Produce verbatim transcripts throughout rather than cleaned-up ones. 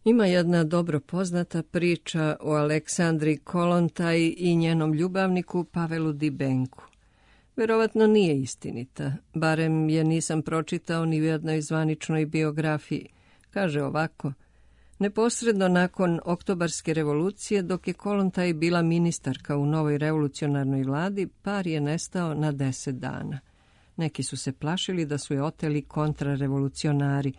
Ima jedna dobro poznata priča o Aleksandri Kolontaj i njenom ljubavniku Pavelu Dibenku. Verovatno nije istinita, barem je nisam pročitao ni u jednoj zvaničnoj biografiji. Kaže ovako: neposredno nakon Oktobarske revolucije, dok je Kolontaj bila ministarka u novoj revolucionarnoj vladi, par je nestao na deset dana. Neki su se plašili da su je oteli kontrarevolucionari.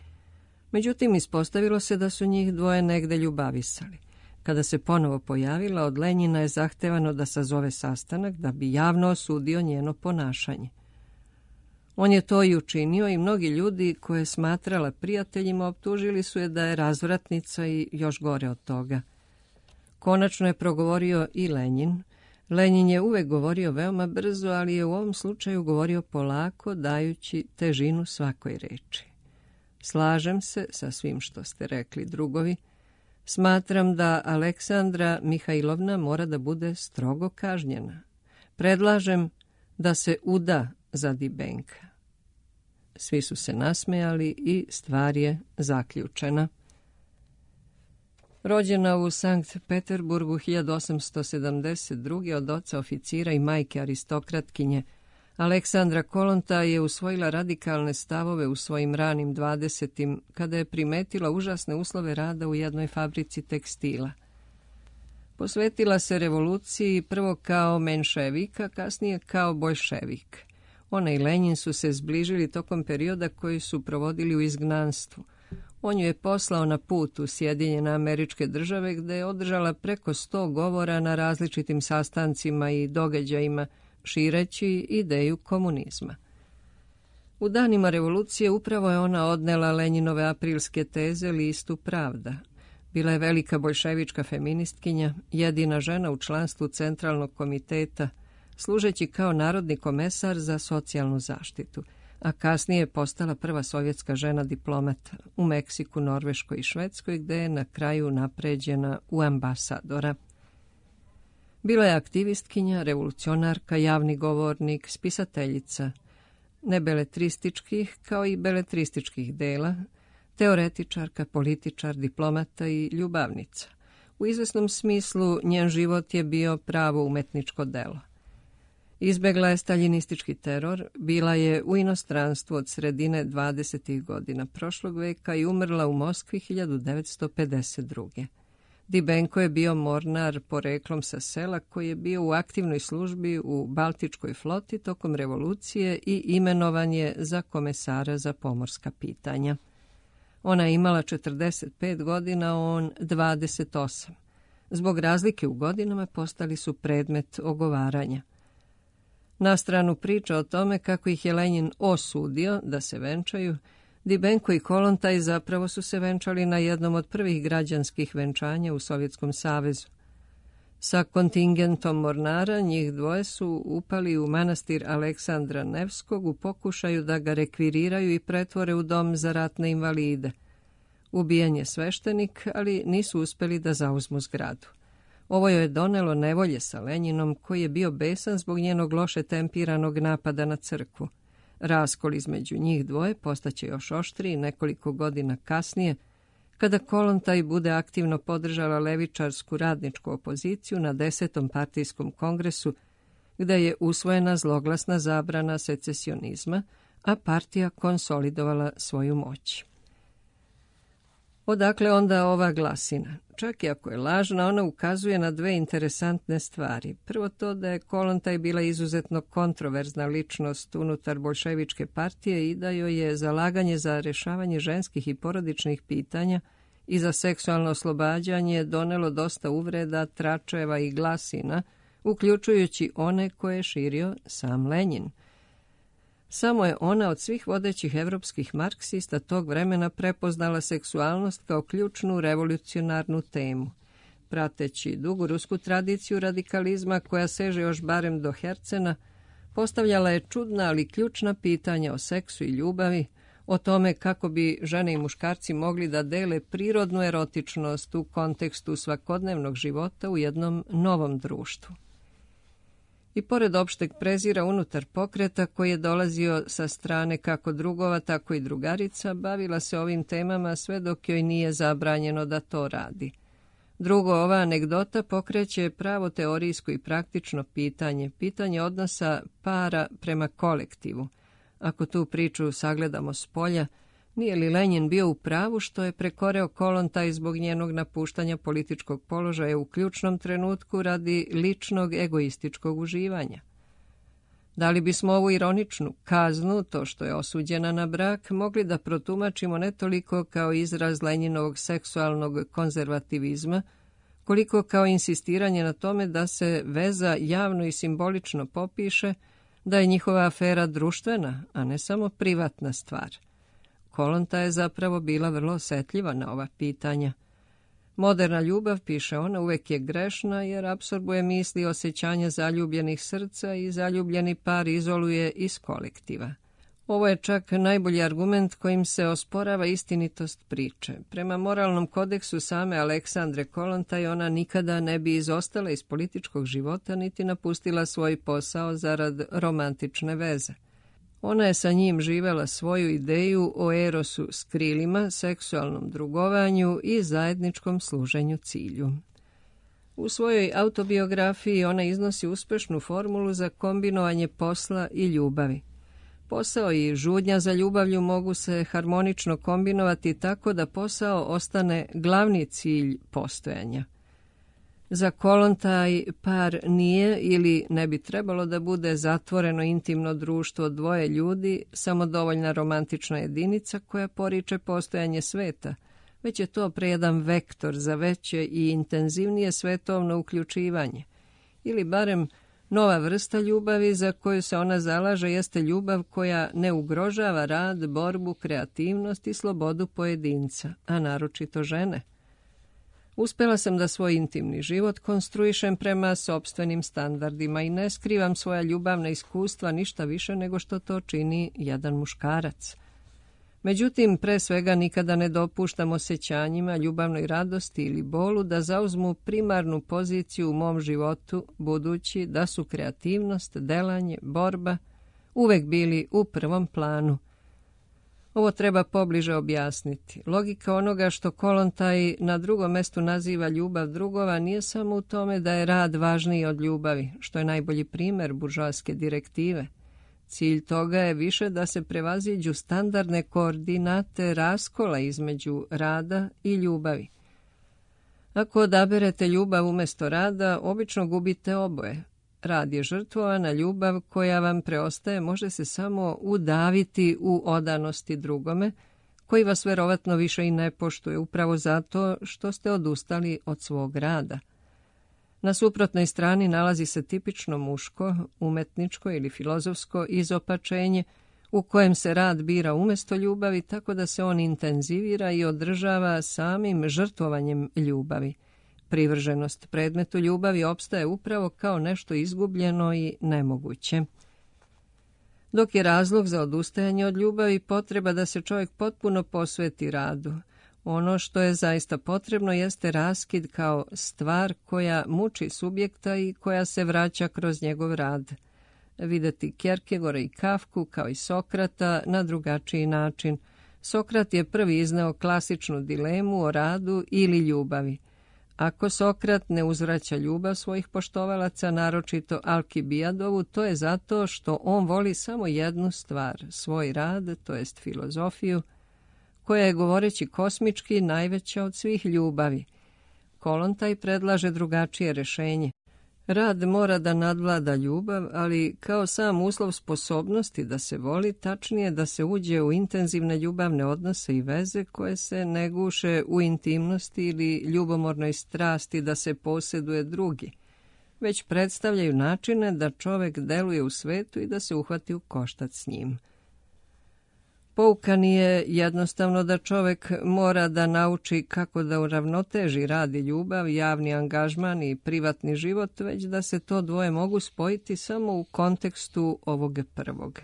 Međutim, ispostavilo se da su njih dvoje negde ljubavisali. Kada se ponovo pojavila, od Lenjina je zahtevano da sazove sastanak da bi javno osudio njeno ponašanje. On je to i učinio i mnogi ljudi koje je smatrala prijateljima optužili su je da je razvratnica i još gore od toga. Konačno je progovorio i Lenjin. Lenjin je uvek govorio veoma brzo, ali je u ovom slučaju govorio polako, dajući težinu svakoj reči. Slažem se sa svim što ste rekli, drugovi. Smatram da Aleksandra Mihajlovna mora da bude strogo kažnjena. Predlažem da se uda za Dibenka. Svi su se nasmejali i stvar je zaključena. Rođena u Sankt Peterburgu hiljadu osamsto sedamdeset druge od oca oficira i majke aristokratkinje, Aleksandra Kolontaj je usvojila radikalne stavove u svojim ranim dvadesetim, kada je primetila užasne uslove rada u jednoj fabrici tekstila. Posvetila se revoluciji prvo kao menševik, a kasnije kao boljševik. Ona i Lenjin su se zbližili tokom perioda koji su provodili u izgnanstvu. On ju je poslao na put u Sjedinjene Američke Države, gde je održala preko sto govora na različitim sastancima i događajima, šireći ideju komunizma. U danima revolucije upravo je ona odnela Lenjinove aprilske teze listu Pravda. Bila je velika boljševička feministkinja, jedina žena u članstvu Centralnog komiteta, služeći kao narodni komesar za socijalnu zaštitu, a kasnije je postala prva sovjetska žena diplomata u Meksiku, Norveškoj i Švedskoj, gde je na kraju napređena u ambasadora. Bila je aktivistkinja, revolucionarka, javni govornik, spisateljica, ne beletrističkih kao i beletrističkih dela, teoretičarka, političar, diplomata i ljubavnica. U izvesnom smislu njen život je bio pravo umetničko delo. Izbegla je staljinistički teror, bila je u inostranstvu od sredine dvadesetih godina prošlog veka i umrla u Moskvi hiljadu devetsto pedeset druge. Dibenko je bio mornar poreklom sa sela koji je bio u aktivnoj službi u Baltičkoj floti tokom revolucije i imenovan je za komesara za pomorska pitanja. Ona je imala četrdeset pet godina, on dvadeset osam. Zbog razlike u godinama postali su predmet ogovaranja. Na stranu priča o tome kako ih je Lenjin osudio da se venčaju, Dibenko i Kolontaj zapravo su se venčali na jednom od prvih građanskih venčanja u Sovjetskom savezu. Sa kontingentom mornara njih dvoje su upali u manastir Aleksandra Nevskog u pokušaju da ga rekviriraju i pretvore u dom za ratne invalide. Ubijen je sveštenik, ali nisu uspeli da zauzmu zgradu. Ovo je donelo nevolje sa Lenjinom, koji je bio besan zbog njenog loše tempiranog napada na crkvu. Raskol između njih dvoje postaće još oštriji nekoliko godina kasnije, kada Kolontaj bude aktivno podržala levičarsku radničku opoziciju na desetom partijskom kongresu, gde je usvojena zloglasna zabrana secesionizma, a partija konsolidovala svoju moć. Odakle onda ova glasina? Čak i ako je lažna, ona ukazuje na dve interesantne stvari. Prvo to da je Kolontaj bila izuzetno kontroverzna ličnost unutar boljševičke partije i da joj je zalaganje za rešavanje ženskih i porodičnih pitanja i za seksualno oslobađanje donelo dosta uvreda, tračeva i glasina, uključujući one koje je širio sam Lenjin. Samo je ona od svih vodećih evropskih marksista tog vremena prepoznala seksualnost kao ključnu revolucionarnu temu. Prateći dugu rusku tradiciju radikalizma koja seže još barem do Hercena, postavljala je čudna ali ključna pitanja o seksu i ljubavi, o tome kako bi žene i muškarci mogli da dele prirodnu erotičnost u kontekstu svakodnevnog života u jednom novom društvu. I pored opšteg prezira unutar pokreta koji je dolazio sa strane kako drugova, tako i drugarica, bavila se ovim temama sve dok joj nije zabranjeno da to radi. Drugo, ova anegdota pokreće pravo teorijsko i praktično pitanje, pitanje odnosa para prema kolektivu. Ako tu priču sagledamo s polja, nije li Lenjin bio u pravu što je prekoreo Kolontaj zbog njenog napuštanja političkog položaja u ključnom trenutku radi ličnog egoističkog uživanja? Da li bismo ovu ironičnu kaznu, to što je osuđena na brak, mogli da protumačimo ne toliko kao izraz Lenjinovog seksualnog konzervativizma, koliko kao insistiranje na tome da se veza javno i simbolično popiše, da je njihova afera društvena, a ne samo privatna stvar. Kolonta je zapravo bila vrlo osetljiva na ova pitanja. Moderna ljubav, piše ona, uvek je grešna jer apsorbuje misli i osjećanja zaljubljenih srca i zaljubljeni par izoluje iz kolektiva. Ovo je čak najbolji argument kojim se osporava istinitost priče. Prema moralnom kodeksu same Aleksandre Kolontaj ona nikada ne bi izostala iz političkog života niti napustila svoj posao zarad romantične veze. Ona je sa njim živela svoju ideju o erosu s krilima, seksualnom drugovanju i zajedničkom služenju cilju. U svojoj autobiografiji ona iznosi uspešnu formulu za kombinovanje posla i ljubavi. Posao i žudnja za ljubavlju mogu se harmonično kombinovati tako da posao ostane glavni cilj postojanja. Za Kolontaj par nije ili ne bi trebalo da bude zatvoreno intimno društvo dvoje ljudi, samodovoljna romantična jedinica koja poriče postojanje sveta, već je to pre jedan vektor za veće i intenzivnije svetovno uključivanje. Ili barem nova vrsta ljubavi za koju se ona zalaže jeste ljubav koja ne ugrožava rad, borbu, kreativnost i slobodu pojedinca, a naročito žene. Uspela sam da svoj intimni život konstruišem prema sopstvenim standardima i ne skrivam svoja ljubavna iskustva ništa više nego što to čini jedan muškarac. Međutim, pre svega nikada ne dopuštam osjećanjima, ljubavnoj radosti ili bolu da zauzmu primarnu poziciju u mom životu, budući da su kreativnost, delanje, borba uvek bili u prvom planu. Ovo treba pobliže objasniti. Logika onoga što Kolontaj na drugom mestu naziva ljubav drugova nije samo u tome da je rad važniji od ljubavi, što je najbolji primer buržoaske direktive. Cilj toga je više da se prevaziđu standardne koordinate raskola između rada i ljubavi. Ako odaberete ljubav umjesto rada, obično gubite oboje. Rad je žrtvovana ljubav koja vam preostaje može se samo udaviti u odanosti drugome, koji vas verovatno više i ne poštuje upravo zato što ste odustali od svog rada. Na suprotnoj strani nalazi se tipično muško, umetničko ili filozofsko izopačenje u kojem se rad bira umjesto ljubavi tako da se on intenzivira i održava samim žrtvovanjem ljubavi. Privrženost predmetu ljubavi opstaje upravo kao nešto izgubljeno i nemoguće. Dok je razlog za odustajanje od ljubavi potreba da se čovjek potpuno posveti radu. Ono što je zaista potrebno jeste raskid kao stvar koja muči subjekta i koja se vraća kroz njegov rad. Videti Kierkegaarda i Kafku kao i Sokrata na drugačiji način. Sokrat je prvi izneo klasičnu dilemu o radu ili ljubavi. Ako Sokrat ne uzvraća ljubav svojih poštovalaca, naročito Alkibijadovu, to je zato što on voli samo jednu stvar, svoj rad, to jest filozofiju, koja je, govoreći kosmički, najveća od svih ljubavi. Kolontaj predlaže drugačije rešenje. Rad mora da nadvlada ljubav, ali kao sam uslov sposobnosti da se voli, tačnije da se uđe u intenzivne ljubavne odnose i veze koje se ne guše u intimnosti ili ljubomornoj strasti da se posjeduje drugi, već predstavljaju načine da čovek deluje u svetu i da se uhvati u koštac s njim. Pouka nije jednostavno da čovek mora da nauči kako da uravnoteži rad i ljubav, javni angažman i privatni život, već da se to dvoje mogu spojiti samo u kontekstu ovog prvog.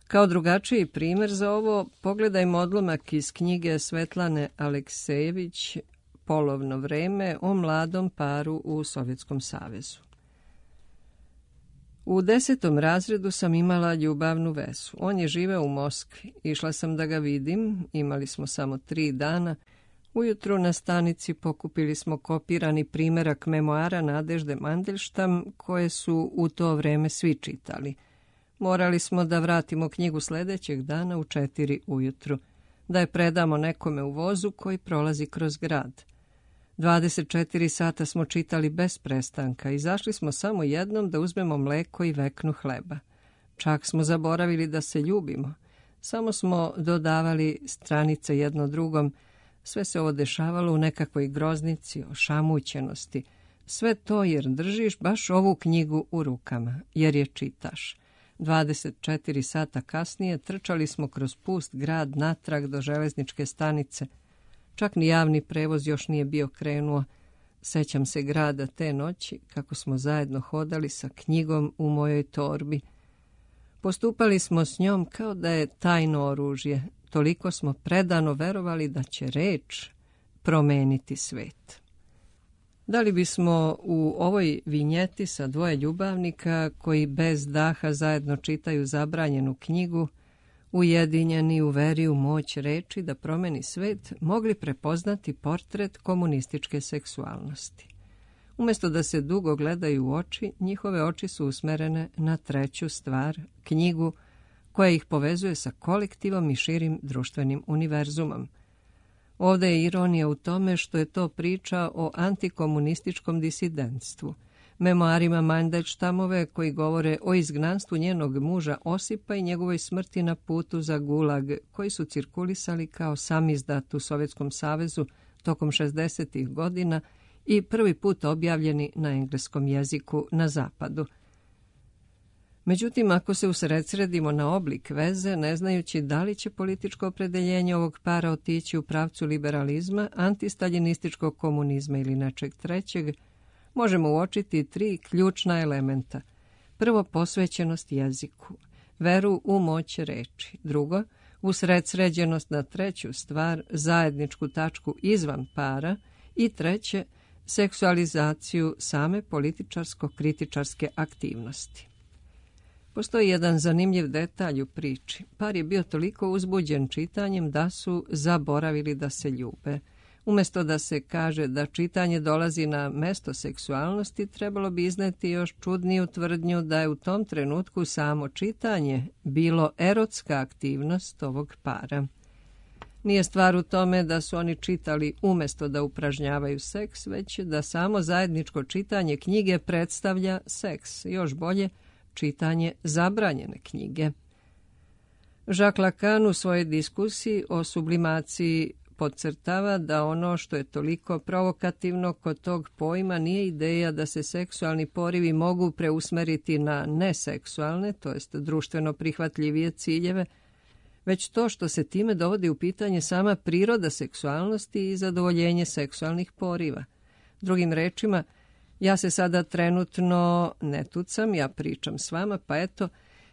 Kao drugačiji primjer za ovo, pogledajmo odlomak iz knjige Svetlane Aleksejević Polovno vreme o mladom paru u Sovjetskom savezu. U desetom razredu sam imala ljubavnu vezu. On je živeo u Moskvi. Išla sam da ga vidim, imali smo samo tri dana. Ujutru na stanici pokupili smo kopirani primerak memoara Nadežde Mandelštam, koje su u to vreme svi čitali. Morali smo da vratimo knjigu sljedećeg dana u četiri ujutru, da je predamo nekome u vozu koji prolazi kroz grad. dvadeset četiri sata smo čitali bez prestanka i izašli smo samo jednom da uzmemo mleko i veknu hleba. Čak smo zaboravili da se ljubimo. Samo smo dodavali stranice jedno drugom. Sve se ovo dešavalo u nekakvoj groznici, ošamućenosti. Sve to jer držiš baš ovu knjigu u rukama, jer je čitaš. dvadeset četiri sata kasnije trčali smo kroz pust grad natrag do železničke stanice. Čak ni javni prevoz još nije bio krenuo. Sećam se grada te noći, kako smo zajedno hodali sa knjigom u mojoj torbi. Postupali smo s njom kao da je tajno oružje. Toliko smo predano verovali da će reč promeniti svet. Da li bismo u ovoj vinjeti sa dvoje ljubavnika koji bez daha zajedno čitaju zabranjenu knjigu, ujedinjeni u veri u moć reči da promeni svet, mogli prepoznati portret komunističke seksualnosti? Umjesto da se dugo gledaju u oči, njihove oči su usmerene na treću stvar, knjigu, koja ih povezuje sa kolektivom i širim društvenim univerzumom. Ovdje je ironija u tome što je to priča o antikomunističkom disidentstvu, memoarima Mandelštamove koji govore o izgnanstvu njenog muža Osipa i njegovoj smrti na putu za Gulag, koji su cirkulisali kao samizdat u Sovjetskom savezu tokom šezdesetih godina i prvi put objavljeni na engleskom jeziku na zapadu. Međutim, ako se usredsredimo na oblik veze, ne znajući da li će političko opredeljenje ovog para otići u pravcu liberalizma, antistaljinističkog komunizma ili nečeg trećeg, možemo uočiti tri ključna elementa. Prvo, posvećenost jeziku, veru u moć reči. Drugo, usredsređenost na treću stvar, zajedničku tačku izvan para. I treće, seksualizaciju same političarsko-kritičarske aktivnosti. Postoji jedan zanimljiv detalj u priči. Par je bio toliko uzbuđen čitanjem da su zaboravili da se ljube. Umjesto da se kaže da čitanje dolazi na mesto seksualnosti, trebalo bi izneti još čudniju tvrdnju da je u tom trenutku samo čitanje bilo erotska aktivnost ovog para. Nije stvar u tome da su oni čitali umjesto da upražnjavaju seks, već da samo zajedničko čitanje knjige predstavlja seks, još bolje, čitanje zabranjene knjige. Jacques Lacan u svojoj diskusiji o sublimaciji podcrtava da ono što je toliko provokativno kod tog pojma nije ideja da se seksualni porivi mogu preusmeriti na neseksualne, to jest društveno prihvatljivije ciljeve, već to što se time dovodi u pitanje sama priroda seksualnosti i zadovoljenje seksualnih poriva. Drugim rečima, ja se sada trenutno ne tucam, ja pričam s vama, pa eto,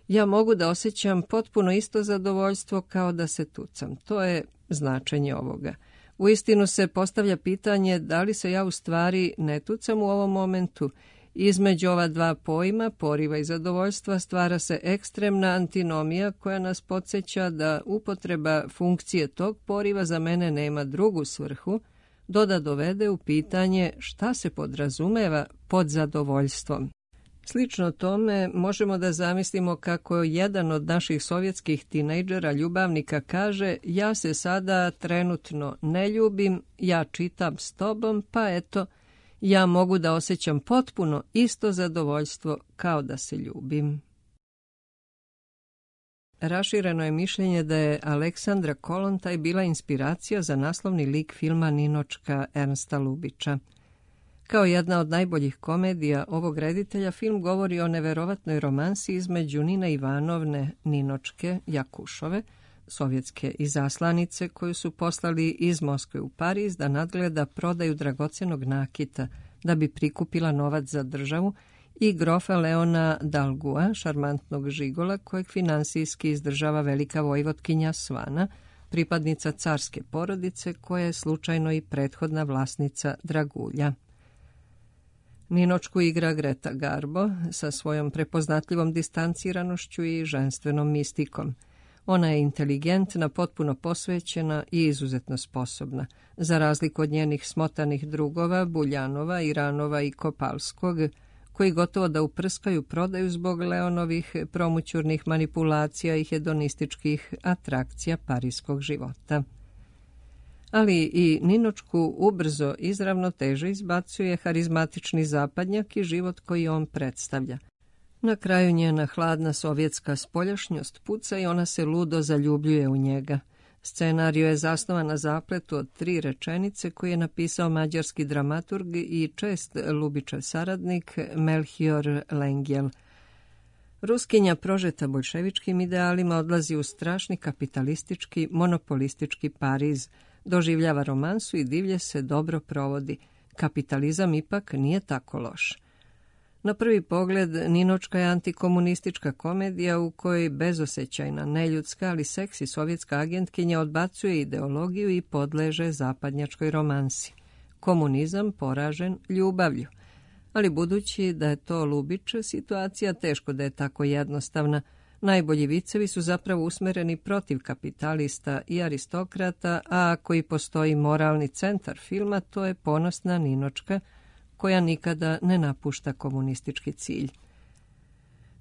ja mogu da osjećam potpuno isto zadovoljstvo kao da se tucam. To je značenje ovoga. Uistinu se postavlja pitanje da li se ja u stvari ne tucam u ovom momentu. Između ova dva pojma, poriva i zadovoljstva, stvara se ekstremna antinomija koja nas podsjeća da upotreba funkcije tog poriva za mene nema drugu svrhu, do da dovede u pitanje šta se podrazumeva pod zadovoljstvom. Slično tome možemo da zamislimo kako jedan od naših sovjetskih tinejdžera ljubavnika kaže: ja se sada trenutno ne ljubim, ja čitam s tobom, pa eto, ja mogu da osjećam potpuno isto zadovoljstvo kao da se ljubim. Rašireno je mišljenje da je Aleksandra Kolontaj bila inspiracija za naslovni lik filma Ninočka Ernsta Lubića. Kao jedna od najboljih komedija ovog reditelja, film govori o neverovatnoj romansi između Nine Ivanovne Ninočke Jakušove, sovjetske izaslanice koju su poslali iz Moskve u Pariz da nadgleda prodaju dragocenog nakita da bi prikupila novac za državu, i grofa Leona Dalgua, šarmantnog žigola kojeg finansijski izdržava velika vojvotkinja Svana, pripadnica carske porodice koja je slučajno i prethodna vlasnica dragulja. Ninočku igra Greta Garbo sa svojom prepoznatljivom distanciranošću i ženstvenom mistikom. Ona je inteligentna, potpuno posvećena i izuzetno sposobna. Za razliku od njenih smotanih drugova, Buljanova, Iranova i Kopalskog, koji gotovo da uprskaju prodaju zbog Leonovih promućurnih manipulacija i hedonističkih atrakcija parijskog života. Ali i Ninočku ubrzo izravno teže izbacuje harizmatični zapadnjak i život koji on predstavlja. Na kraju njena hladna sovjetska spoljašnjost puca i ona se ludo zaljubljuje u njega. Scenariju je zasnovan na zapletu od tri rečenice koje je napisao mađarski dramaturg i čest Lubičev saradnik Melchior Lengyel. Ruskinja prožeta boljševičkim idealima odlazi u strašni kapitalistički, monopolistički Pariz, doživljava romansu i divlje se dobro provodi. Kapitalizam ipak nije tako loš. Na prvi pogled, Ninočka je antikomunistička komedija u kojoj bezosećajna, neljudska, ali seksi sovjetska agentkinja odbacuje ideologiju i podleže zapadnjačkoj romansi. Komunizam poražen ljubavlju. Ali budući da je to Lubić, situacija teško da je tako jednostavna. Najbolji vicevi su zapravo usmereni protiv kapitalista i aristokrata, a ako i postoji moralni centar filma, to je ponosna Ninočka, koja nikada ne napušta komunistički cilj.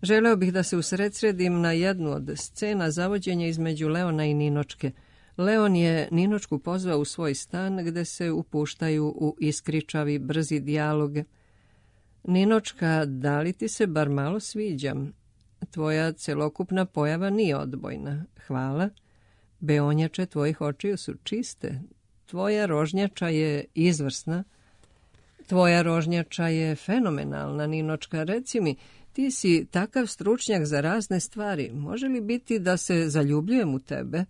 Želeo bih da se usredsredim na jednu od scena zavođenja između Leona i Ninočke. Leon je Ninočku pozvao u svoj stan gde se upuštaju u iskričavi, brzi dijalog. Ninočka, da li ti se bar malo sviđam? Tvoja celokupna pojava nije odbojna. Hvala. Beonjače tvojih očiju su čiste. Tvoja rožnjača je izvrsna. Tvoja rožnjača je fenomenalna, Ninočka. Reci mi, ti si takav stručnjak za razne stvari. Može li biti da se zaljubljujem u tebe?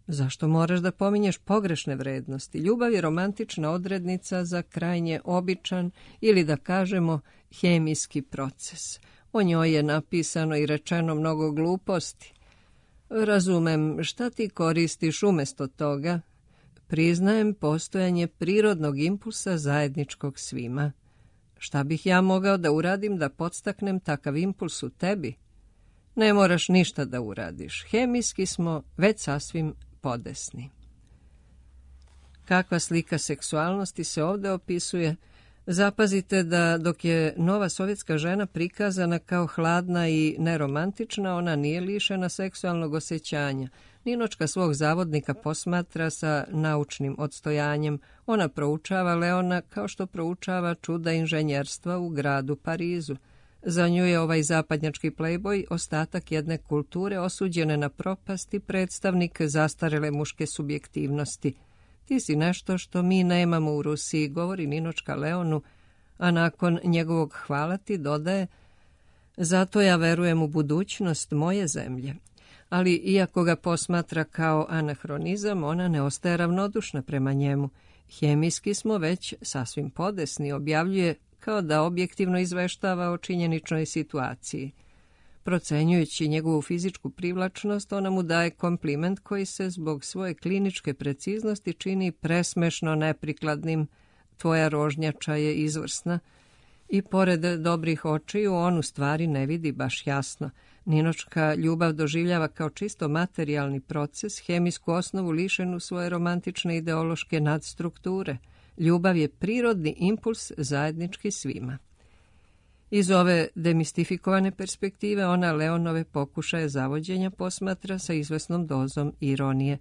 Zašto moraš da pominješ pogrešne vrednosti? Ljubav je romantična odrednica za krajnje običan ili da kažemo hemijski proces. O njoj je napisano i rečeno mnogo gluposti. Razumem, šta ti koristiš umjesto toga? Priznajem postojanje prirodnog impulsa zajedničkog svima. Šta bih ja mogao da uradim da podstaknem takav impuls u tebi? Ne moraš ništa da uradiš. Hemijski smo već sasvim podesni. Kakva slika seksualnosti se ovdje opisuje? Zapazite da dok je nova sovjetska žena prikazana kao hladna i neromantična, ona nije lišena seksualnog osjećanja. Ninočka svog zavodnika posmatra sa naučnim odstojanjem. Ona proučava Leona kao što proučava čuda inženjerstva u gradu Parizu. Za nju je ovaj zapadnjački plejboj ostatak jedne kulture osuđene na propast i predstavnik zastarele muške subjektivnosti. Ti si nešto što mi nemamo u Rusiji, govori Ninočka Leonu, a nakon njegovog hvala ti dodaje: zato ja verujem u budućnost moje zemlje. Ali iako ga posmatra kao anahronizam, ona ne ostaje ravnodušna prema njemu. Hemijski smo već sasvim podesni, objavljuje kao da objektivno izveštava o činjeničnoj situaciji. Procenjujući njegovu fizičku privlačnost, ona mu daje kompliment koji se zbog svoje kliničke preciznosti čini presmešno neprikladnim. Tvoja rožnjača je izvrsna. I pored dobrih očiju, on u stvari ne vidi baš jasno. Ninočka ljubav doživljava kao čisto materijalni proces, hemijsku osnovu lišenu svoje romantične ideološke nadstrukture. Ljubav je prirodni impuls zajednički svima. Iz ove demistifikovane perspektive ona Leonove pokušaje zavođenja posmatra sa izvesnom dozom ironije.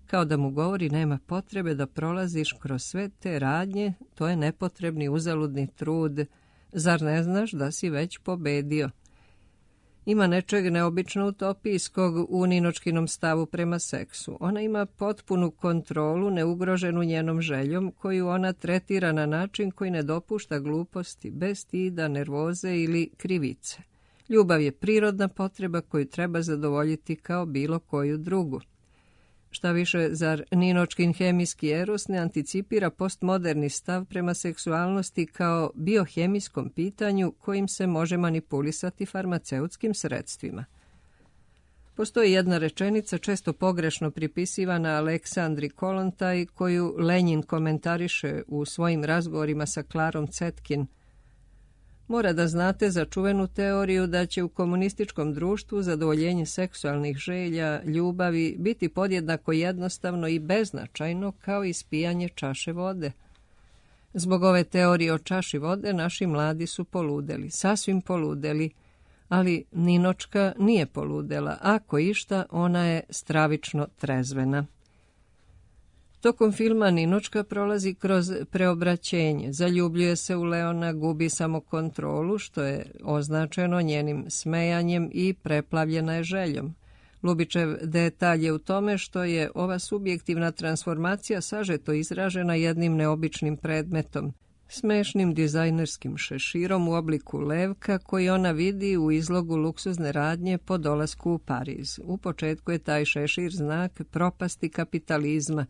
Kao da mu govori: nema potrebe da prolaziš kroz sve te radnje, to je nepotrebni uzaludni trud. Zar ne znaš da si već pobedio? Ima nečeg neobično utopijskog u Ninočkinom stavu prema seksu. Ona ima potpunu kontrolu, neugroženu njenom željom, koju ona tretira na način koji ne dopušta gluposti, bez stida, nervoze ili krivice. Ljubav je prirodna potreba koju treba zadovoljiti kao bilo koju drugu. Šta više, zar Ninočkin hemijski eros ne anticipira postmoderni stav prema seksualnosti kao biohemijskom pitanju kojim se može manipulisati farmaceutskim sredstvima? Postoji jedna rečenica često pogrešno pripisivana Aleksandri Kolontaj, koju Lenjin komentariše u svojim razgovorima sa Klarom Cetkin. Mora da znate za čuvenu teoriju da će u komunističkom društvu zadovoljenje seksualnih želja, ljubavi biti podjednako jednostavno i beznačajno kao ispijanje čaše vode. Zbog ove teorije o čaši vode naši mladi su poludeli, sasvim poludeli, ali Ninočka nije poludela, ako išta, ona je stravično trezvena. Tokom filma Ninočka prolazi kroz preobraćenje, zaljubljuje se u Leona, gubi samokontrolu, što je označeno njenim smejanjem i preplavljena je željom. Lubičev detalj je u tome što je ova subjektivna transformacija sažeto izražena jednim neobičnim predmetom, smešnim dizajnerskim šeširom u obliku levka koji ona vidi u izlogu luksuzne radnje po dolasku u Pariz. U početku je taj šešir znak propasti kapitalizma.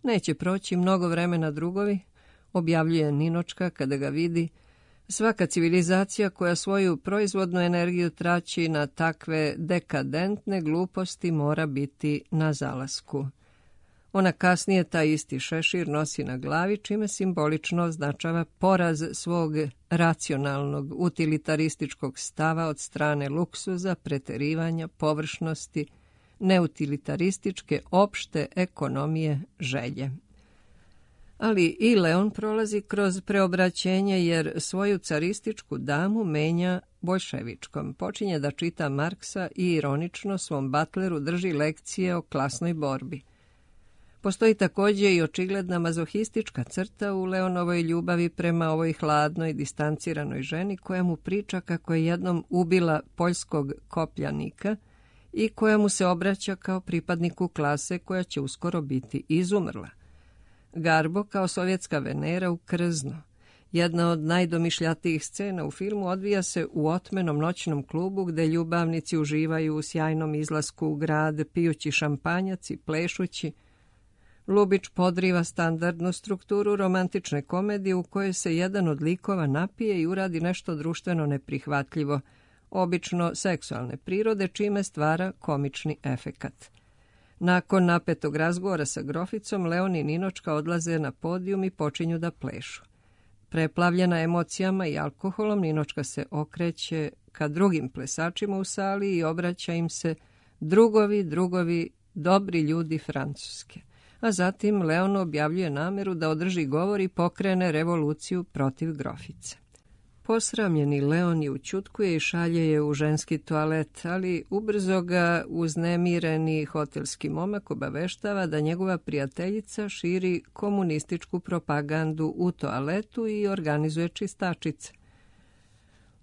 Neće proći mnogo vremena drugovi, objavljuje Ninočka kada ga vidi. Svaka civilizacija koja svoju proizvodnu energiju traći na takve dekadentne gluposti mora biti na zalasku. Ona kasnije taj isti šešir nosi na glavi, čime simbolično označava poraz svog racionalnog, utilitarističkog stava od strane luksuza, preterivanja, površnosti, neutilitarističke opšte ekonomije želje. Ali i Leon prolazi kroz preobraćenje jer svoju carističku damu menja boljševičkom. Počinje da čita Marksa i ironično svom Butleru drži lekcije o klasnoj borbi. Postoji također i očigledna mazohistička crta u Leonovoj ljubavi prema ovoj hladnoj, distanciranoj ženi koja mu priča kako je jednom ubila poljskog kopljanika i koja mu se obraća kao pripadniku klase koja će uskoro biti izumrla. Garbo kao sovjetska Venera u Krzno. Jedna od najdomišljatijih scena u filmu odvija se u otmenom noćnom klubu gde ljubavnici uživaju u sjajnom izlasku u grad, pijući šampanjac i plešući. Lubić podriva standardnu strukturu romantične komedije u kojoj se jedan od likova napije i uradi nešto društveno neprihvatljivo, obično seksualne prirode, čime stvara komični efekat. Nakon napetog razgovora sa groficom, Leon i Ninočka odlaze na podijum i počinju da plešu. Preplavljena emocijama i alkoholom, Ninočka se okreće ka drugim plesačima u sali i obraća im se drugovi, drugovi, dobri ljudi Francuske. A zatim Leon objavljuje nameru da održi govor i pokrene revoluciju protiv grofice. Posramljeni Leon je ućutkuje i šalje je u ženski toalet, ali ubrzo ga uznemireni hotelski momak obaveštava da njegova prijateljica širi komunističku propagandu u toaletu i organizuje čistačice.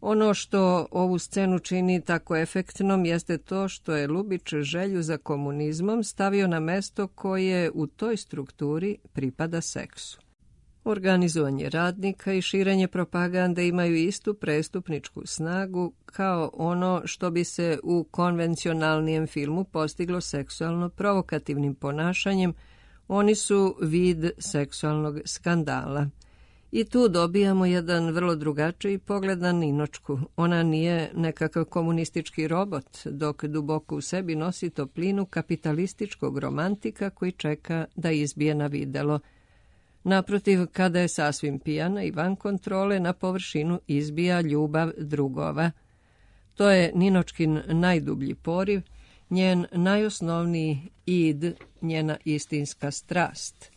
Ono što ovu scenu čini tako efektnom jeste to što je Lubić želju za komunizmom stavio na mesto koje u toj strukturi pripada seksu. Organizovanje radnika i širenje propagande imaju istu prestupničku snagu kao ono što bi se u konvencionalnijem filmu postiglo seksualno provokativnim ponašanjem. Oni su vid seksualnog skandala. I tu dobijamo jedan vrlo drugačiji pogled na Ninočku. Ona nije nekakav komunistički robot, dok duboko u sebi nosi toplinu kapitalističkog romantika koji čeka da izbije na videlo. Naprotiv, kada je sasvim pijana i van kontrole, na površinu izbija ljubav drugova. To je Ninočkin najdublji poriv, njen najosnovniji id, njena istinska strast.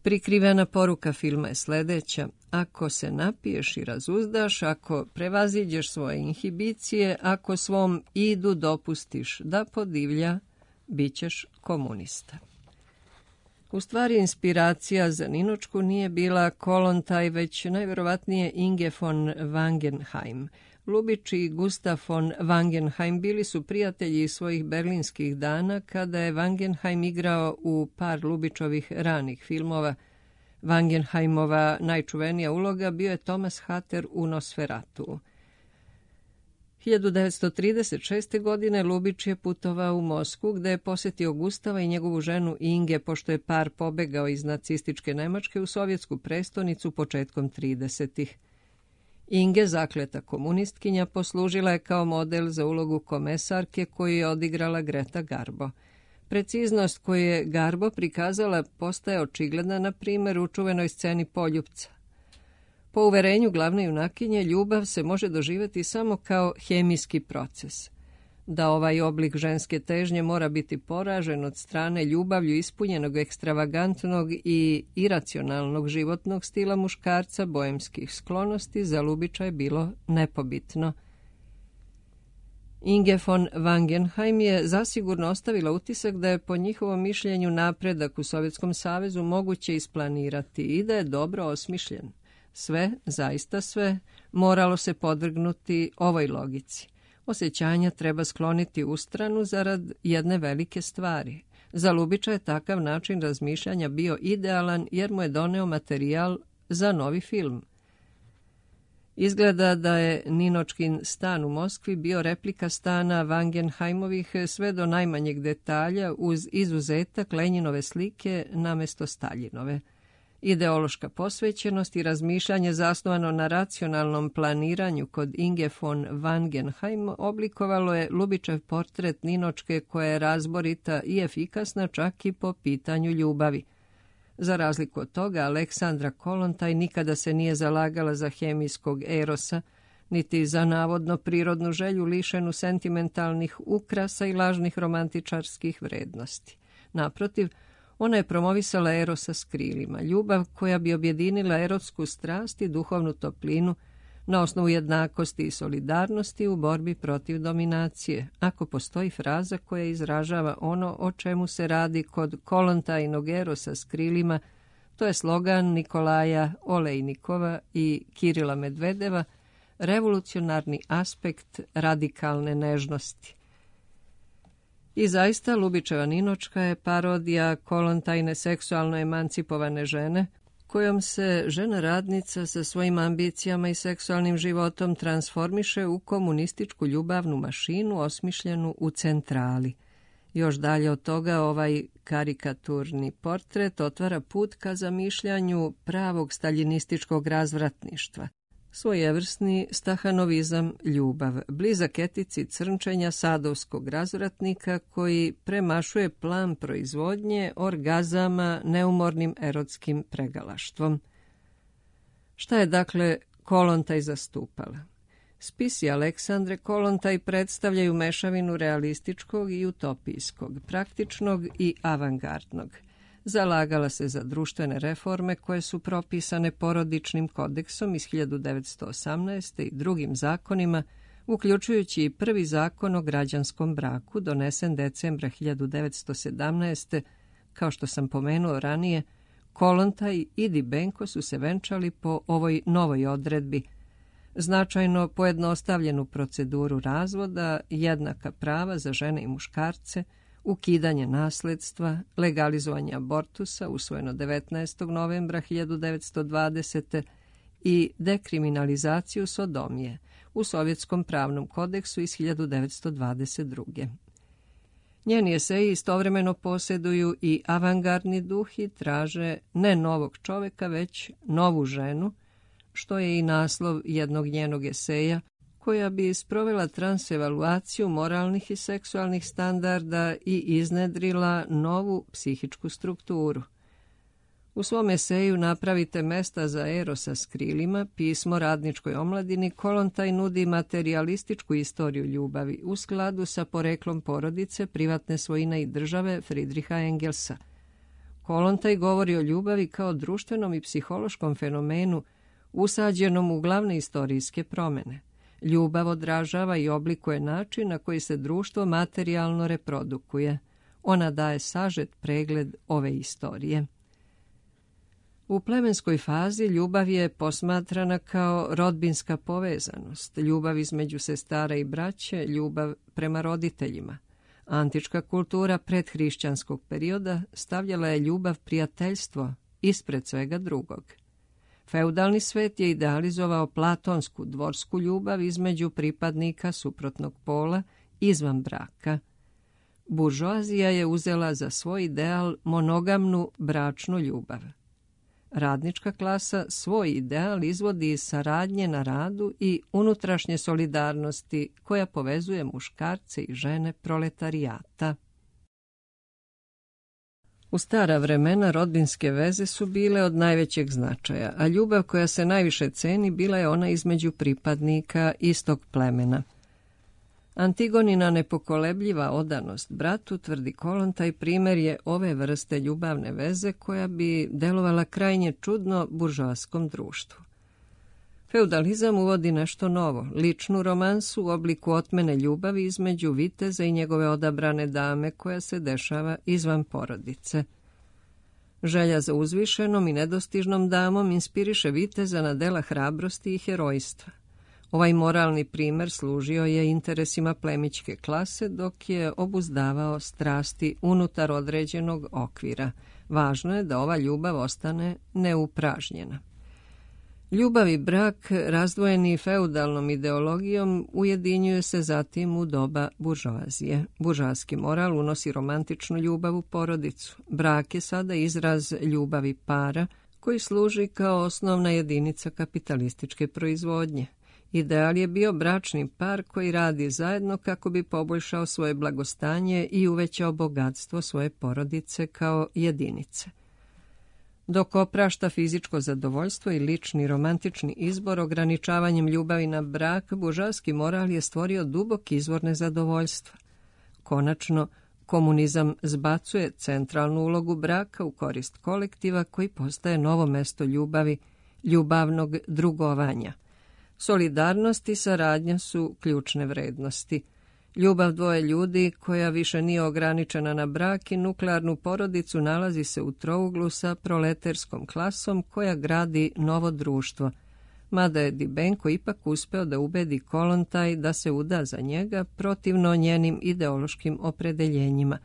Prikrivena poruka filma je sljedeća: ako se napiješ i razuzdaš, ako prevaziđeš svoje inhibicije, ako svom idu dopustiš da podivlja, bit ćeš komunista. U stvari, inspiracija za Ninočku nije bila Kollontaj, već najvjerovatnije Inge von Wangenheim. Lubić i Gustav von Wangenheim bili su prijatelji svojih berlinskih dana kada je Wangenheim igrao u par Lubićovih ranih filmova. Wangenheimova najčuvenija uloga bio je Thomas Hatter u Nosferatu. hiljadu devetsto trideset šeste. godine Lubić je putovao u Moskvu gde je posjetio Gustava i njegovu ženu Inge pošto je par pobegao iz nacističke Nemačke u sovjetsku prestonicu početkom tridesetih. Inge, zakleta komunistkinja, poslužila je kao model za ulogu komesarke koju je odigrala Greta Garbo. Preciznost koju je Garbo prikazala postaje očigledna na primjer u čuvenoj sceni Poljupca. Po uverenju glavne junakinje, ljubav se može doživjeti samo kao hemijski proces. Da ovaj oblik ženske težnje mora biti poražen od strane ljubavlju ispunjenog ekstravagantnog i iracionalnog životnog stila muškarca bojemskih sklonosti za Ljubića je bilo nepobitno. Inge von Wangenheim je zasigurno ostavila utisak da je po njihovom mišljenju napredak u Sovjetskom savezu moguće isplanirati i da je dobro osmišljen. Sve, zaista sve, moralo se podvrgnuti ovoj logici. Osjećanja treba skloniti u stranu zarad jedne velike stvari. Za Ljubića je takav način razmišljanja bio idealan jer mu je doneo materijal za novi film. Izgleda da je Ninočkin stan u Moskvi bio replika stana Wangenheimovih sve do najmanjeg detalja uz izuzetak Lenjinove slike namjesto Staljinove. Ideološka posvećenost i razmišljanje zasnovano na racionalnom planiranju kod Inge von Wangenheim oblikovalo je Ljubićev portret Ninočke koja je razborita i efikasna čak i po pitanju ljubavi. Za razliku od toga, Aleksandra Kollontaj nikada se nije zalagala za hemijskog erosa, niti za navodno prirodnu želju lišenu sentimentalnih ukrasa i lažnih romantičarskih vrednosti. Naprotiv, ona je promovisala erosa s krilima, ljubav koja bi objedinila erotsku strast i duhovnu toplinu na osnovu jednakosti i solidarnosti u borbi protiv dominacije, ako postoji fraza koja izražava ono o čemu se radi kod Kollontajnog erosa s krilima, to je slogan Nikolaja Olejnikova i Kirila Medvedeva, revolucionarni aspekt radikalne nežnosti. I zaista, Ljubićeva Ninočka je parodija Kollontajne seksualno emancipovane žene, kojom se žena radnica sa svojim ambicijama i seksualnim životom transformiše u komunističku ljubavnu mašinu osmišljenu u centrali. Još dalje od toga ovaj karikaturni portret otvara put ka zamišljanju pravog staljinističkog razvratništva. Svojevrsni stahanovizam ljubav, blizak etici crnčenja sadovskog razvratnika koji premašuje plan proizvodnje orgazama neumornim erotskim pregalaštvom. Šta je dakle Kollontaj zastupala? Spisi Aleksandre Kollontaj predstavljaju mešavinu realističkog i utopijskog, praktičnog i avangardnog. Zalagala se za društvene reforme koje su propisane porodičnim kodeksom iz hiljadu devetsto osamnaeste. i drugim zakonima, uključujući i prvi zakon o građanskom braku donesen decembra hiljadu devetsto sedamnaeste. Kao što sam pomenuo ranije, Kollontaj i Dybenko su se venčali po ovoj novoj odredbi, značajno pojednostavljenu proceduru razvoda, jednaka prava za žene i muškarce, ukidanje nasledstva, legalizovanje abortusa usvojeno devetnaestog novembra hiljadu devetsto dvadesete. i dekriminalizaciju sodomije u Sovjetskom pravnom kodeksu iz hiljadu devetsto dvadeset druge. Njeni eseji istovremeno posjeduju i avangardni duh i traže ne novog čoveka, već novu ženu, što je i naslov jednog njenog eseja, koja bi sprovela transevaluaciju moralnih i seksualnih standarda i iznedrila novu psihičku strukturu. U svom eseju Napravite mesta za erosa s krilima, pismo radničkoj omladini, Kollontaj nudi materialističku istoriju ljubavi u skladu sa poreklom porodice, privatne svojine i države Friedricha Engelsa. Kollontaj govori o ljubavi kao društvenom i psihološkom fenomenu usađenom u glavne istorijske promjene. Ljubav odražava i oblikuje način na koji se društvo materijalno reprodukuje. Ona daje sažet pregled ove istorije. U plemenskoj fazi ljubav je posmatrana kao rodbinska povezanost, ljubav između sestara i braće, ljubav prema roditeljima. Antička kultura predhrišćanskog perioda stavljala je ljubav prijateljstvo ispred svega drugog. Feudalni svet je idealizovao platonsku dvorsku ljubav između pripadnika suprotnog pola izvan braka. Buržoazija je uzela za svoj ideal monogamnu bračnu ljubav. Radnička klasa svoj ideal izvodi iz saradnje na radu i unutrašnje solidarnosti koja povezuje muškarce i žene proletarijata. U stara vremena rodbinske veze su bile od najvećeg značaja, a ljubav koja se najviše ceni bila je ona između pripadnika istog plemena. Antigonina nepokolebljiva odanost bratu, tvrdi Kolontaj, primjer je ove vrste ljubavne veze koja bi delovala krajnje čudno buržoaskom društvu. Feudalizam uvodi nešto novo, ličnu romansu u obliku otmene ljubavi između viteza i njegove odabrane dame koja se dešava izvan porodice. Želja za uzvišenom i nedostižnom damom inspiriše viteza na dela hrabrosti i herojstva. Ovaj moralni primer služio je interesima plemićke klase dok je obuzdavao strasti unutar određenog okvira. Važno je da ova ljubav ostane neupražnjena. Ljubav i brak, razdvojeni feudalnom ideologijom, ujedinjuju se zatim u doba buržoazije. Buržoaski moral unosi romantičnu ljubav u porodicu. Brak je sada izraz ljubavi para koji služi kao osnovna jedinica kapitalističke proizvodnje. Ideal je bio bračni par koji radi zajedno kako bi poboljšao svoje blagostanje i uvećao bogatstvo svoje porodice kao jedinice. Dok oprašta fizičko zadovoljstvo i lični romantični izbor ograničavanjem ljubavi na brak, buržoaski moral je stvorio dubok izvor nezadovoljstva. Konačno, komunizam zbacuje centralnu ulogu braka u korist kolektiva koji postaje novo mesto ljubavi, ljubavnog drugovanja. Solidarnost i saradnja su ključne vrednosti. Ljubav dvoje ljudi, koja više nije ograničena na brak i nuklearnu porodicu, nalazi se u trouglu sa proleterskom klasom koja gradi novo društvo, mada je Dybenko ipak uspeo da ubedi Kolontaj da se uda za njega protivno njenim ideološkim opredeljenjima.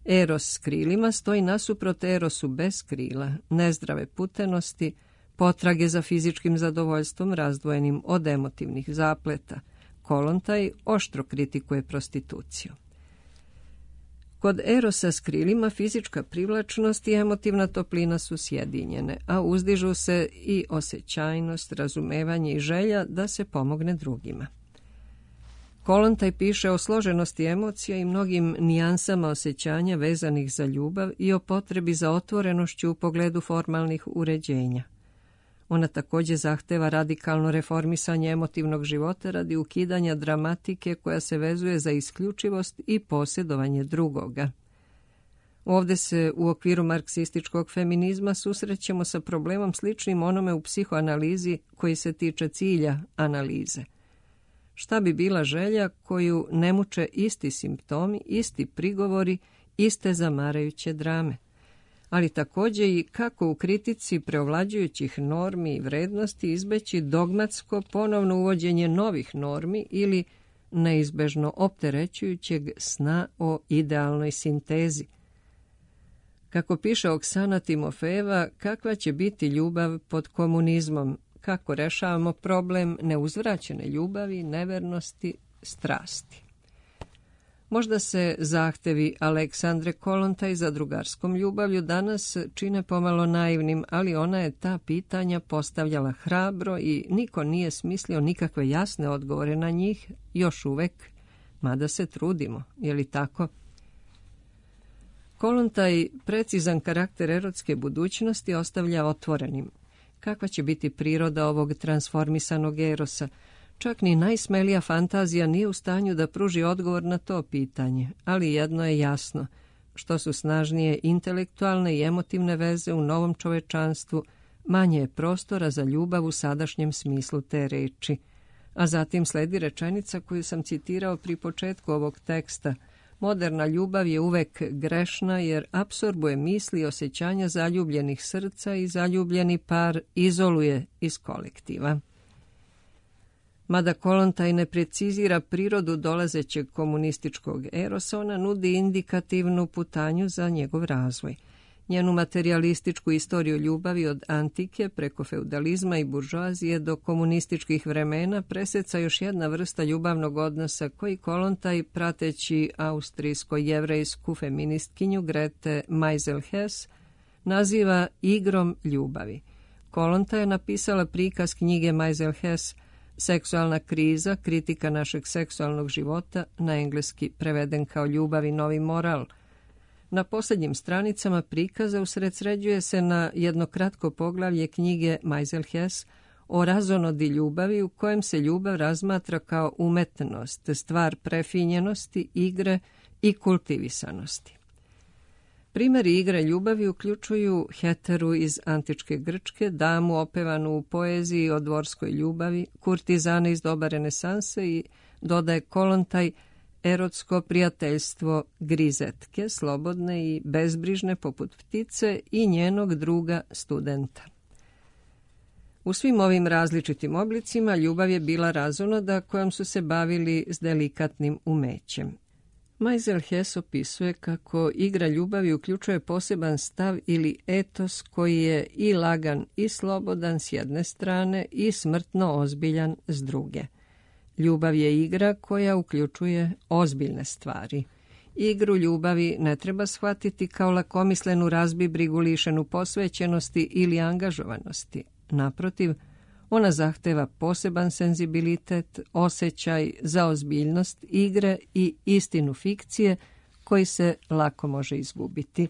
Eros s krilima stoji nasuprot erosu bez krila, nezdrave putenosti, potrage za fizičkim zadovoljstvom razdvojenim od emotivnih zapleta. Kolontaj oštro kritikuje prostituciju. Kod erosa s krilima fizička privlačnost i emotivna toplina su sjedinjene, a uzdižu se i osjećajnost, razumevanje i želja da se pomogne drugima. Kolontaj piše o složenosti emocija i mnogim nijansama osjećanja vezanih za ljubav i o potrebi za otvorenošću u pogledu formalnih uređenja. Ona također zahteva radikalno reformisanje emotivnog života radi ukidanja dramatike koja se vezuje za isključivost i posjedovanje drugoga. Ovdje se u okviru marksističkog feminizma susrećemo sa problemom sličnim onome u psihoanalizi koji se tiče cilja analize. Šta bi bila želja koju ne muče isti simptomi, isti prigovori, iste zamarajuće drame? Ali također i kako u kritici preovlađujućih normi i vrednosti izbeći dogmatsko ponovno uvođenje novih normi ili neizbežno opterećujućeg sna o idealnoj sintezi. Kako piše Oksana Timofejeva, kakva će biti ljubav pod komunizmom, kako rešavamo problem neuzvraćene ljubavi, nevernosti, strasti. Možda se zahtevi Aleksandre Kolontaj za drugarskom ljubavlju danas čine pomalo naivnim, ali ona je ta pitanja postavljala hrabro i niko nije smislio nikakve jasne odgovore na njih, još uvek, mada se trudimo, je li tako? Kolontaj precizan karakter erotske budućnosti ostavlja otvorenim. Kakva će biti priroda ovog transformisanog erosa? Čak ni najsmelija fantazija nije u stanju da pruži odgovor na to pitanje, ali jedno je jasno, što su snažnije intelektualne i emotivne veze u novom čovečanstvu, manje je prostora za ljubav u sadašnjem smislu te reči. A zatim sledi rečenica koju sam citirao pri početku ovog teksta. Moderna ljubav je uvek grešna jer apsorbuje misli i osjećanja zaljubljenih srca i zaljubljeni par izoluje iz kolektiva. Mada Kolontaj ne precizira prirodu dolazećeg komunističkog erosa, ona nudi indikativnu putanju za njegov razvoj. Njenu materijalističku istoriju ljubavi od antike preko feudalizma i buržoazije do komunističkih vremena preseca još jedna vrsta ljubavnog odnosa koji Kolontaj, prateći austrijsko-jevrejsku feministkinju Grete Meisel-Hess, naziva igrom ljubavi. Kolontaj je napisala prikaz knjige Meisel-Hess Seksualna kriza, kritika našeg seksualnog života, na engleski preveden kao Ljubav i novi moral. Na posljednjim stranicama prikaza usredsređuje se na jedno kratko poglavlje knjige Meiselhes o razonodi ljubavi, u kojem se ljubav razmatra kao umetnost, stvar prefinjenosti, igre i kultivisanosti. Primjeri igre ljubavi uključuju Heteru iz antičke Grčke, damu opevanu u poeziji o dvorskoj ljubavi, kurtizane iz doba renesanse i, dodaje Kolontaj, erotsko prijateljstvo Grizetke, slobodne i bezbrižne poput ptice, i njenog druga studenta. U svim ovim različitim oblicima ljubav je bila razonoda kojom su se bavili s delikatnim umećem. Meiselhes opisuje kako igra ljubavi uključuje poseban stav ili etos koji je i lagan i slobodan s jedne strane i smrtno ozbiljan s druge. Ljubav je igra koja uključuje ozbiljne stvari. Igru ljubavi ne treba shvatiti kao lakomislenu razbibrigu lišenu posvećenosti ili angažovanosti. Naprotiv, ona zahteva poseban senzibilitet, osjećaj za ozbiljnost igre i istinu fikcije koji se lako može izgubiti.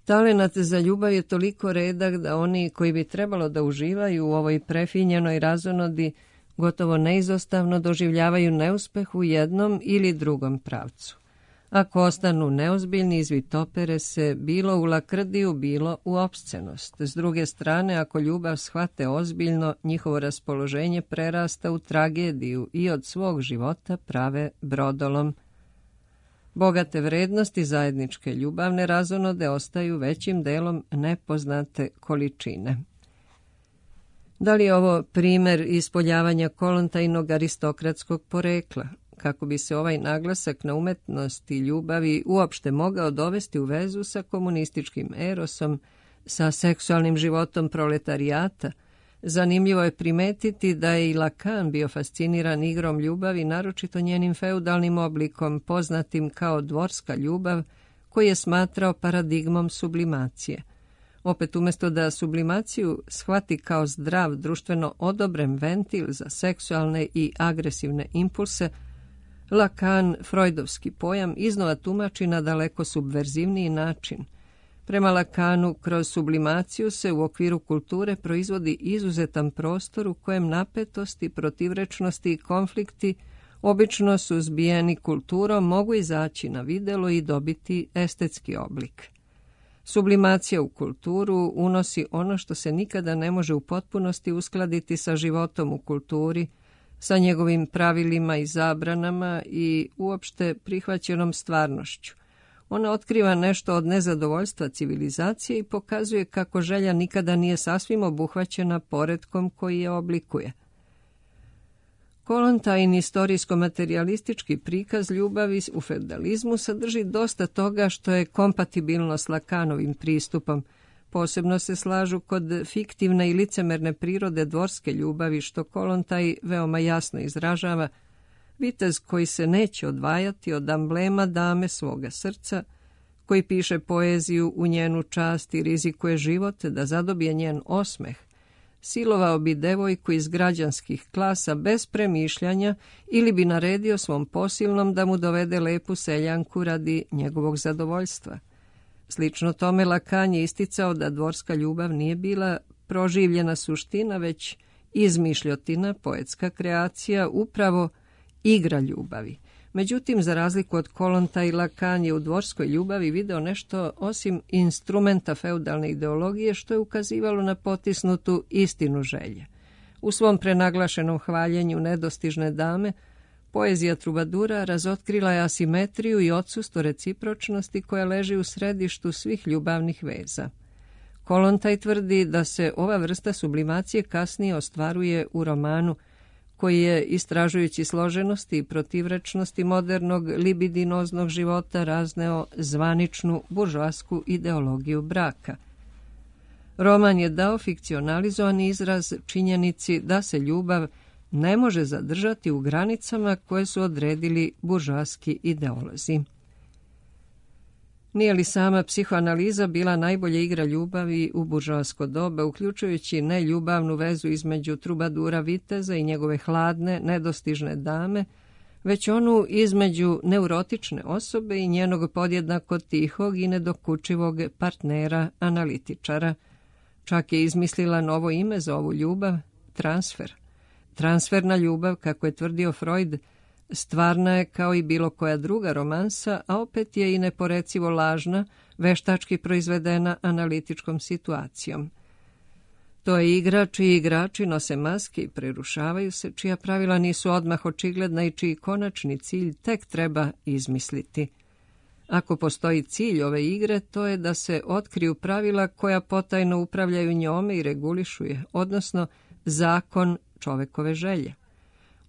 Talenat za ljubav je toliko redak da oni koji bi trebalo da uživaju u ovoj prefinjenoj razonodi gotovo neizostavno doživljavaju neuspeh u jednom ili drugom pravcu. Ako ostanu neozbiljni, izvitopere se bilo u lakrdiju, bilo u opscenost. S druge strane, ako ljubav shvate ozbiljno, njihovo raspoloženje prerasta u tragediju i od svog života prave brodolom. Bogate vrednosti zajedničke ljubavne razonode ostaju većim delom nepoznate količine. Da li je ovo primjer ispoljavanja kolontajnog aristokratskog porekla? Kako bi se ovaj naglasak na umetnost i ljubavi uopšte mogao dovesti u vezu sa komunističkim erosom, sa seksualnim životom proletarijata, zanimljivo je primetiti da je i Lacan bio fasciniran igrom ljubavi, naročito njenim feudalnim oblikom, poznatim kao dvorska ljubav, koji je smatrao paradigmom sublimacije. Opet, umjesto da sublimaciju shvati kao zdrav, društveno odobren ventil za seksualne i agresivne impulse, Lacan freudovski pojam iznova tumači na daleko subverzivniji način. Prema Lacanu, kroz sublimaciju se u okviru kulture proizvodi izuzetan prostor u kojem napetosti, protivrečnosti i konflikti, obično suzbijeni kulturom, mogu izaći na videlo i dobiti estetski oblik. Sublimacija u kulturu unosi ono što se nikada ne može u potpunosti uskladiti sa životom u kulturi, sa njegovim pravilima i zabranama i uopšte prihvaćenom stvarnošću. Ona otkriva nešto od nezadovoljstva civilizacije i pokazuje kako želja nikada nije sasvim obuhvaćena poretkom koji je oblikuje. Kolontajin istorijsko-materialistički prikaz ljubavi u feudalizmu sadrži dosta toga što je kompatibilno s Lacanovim pristupom. Posebno se slažu kod fiktivne i licemerne prirode dvorske ljubavi, što Kolontaj veoma jasno izražava, vitez koji se neće odvajati od amblema dame svoga srca, koji piše poeziju u njenu čast i rizikuje život da zadobije njen osmeh, silovao bi devojku iz građanskih klasa bez premišljanja ili bi naredio svom posilnom da mu dovede lepu seljanku radi njegovog zadovoljstva. Slično tome, Lacan je isticao da dvorska ljubav nije bila proživljena suština, već izmišljotina, poetska kreacija, upravo igra ljubavi. Međutim, za razliku od Kolontaja, Lacan je u dvorskoj ljubavi video nešto osim instrumenta feudalne ideologije, što je ukazivalo na potisnutu istinu želje. U svom prenaglašenom hvaljenju nedostižne dame, poezija trubadura razotkrila je asimetriju i odsustvo recipročnosti koja leži u središtu svih ljubavnih veza. Kolontaj tvrdi da se ova vrsta sublimacije kasnije ostvaruje u romanu, koji je, istražujući složenosti i protivrečnosti modernog libidinoznog života, razneo zvaničnu buržoasku ideologiju braka. Roman je dao fikcionalizovani izraz činjenici da se ljubav ne može zadržati u granicama koje su odredili buržoaski ideolozi. Nije li sama psihoanaliza bila najbolja igra ljubavi u buržoasko doba, uključujući neljubavnu vezu između trubadura viteza i njegove hladne, nedostižne dame, već onu između neurotične osobe i njenog podjednako tihog i nedokučivog partnera, analitičara. Čak je izmislila novo ime za ovu ljubav, transfer. Transferna ljubav, kako je tvrdio Freud, stvarna je kao i bilo koja druga romansa, a opet je i neporecivo lažna, veštački proizvedena analitičkom situacijom. To je igra čiji igrači nose maske i prerušavaju se, čija pravila nisu odmah očigledna i čiji konačni cilj tek treba izmisliti. Ako postoji cilj ove igre, to je da se otkriju pravila koja potajno upravljaju njome i regulišu je, odnosno zakon čovekove želje.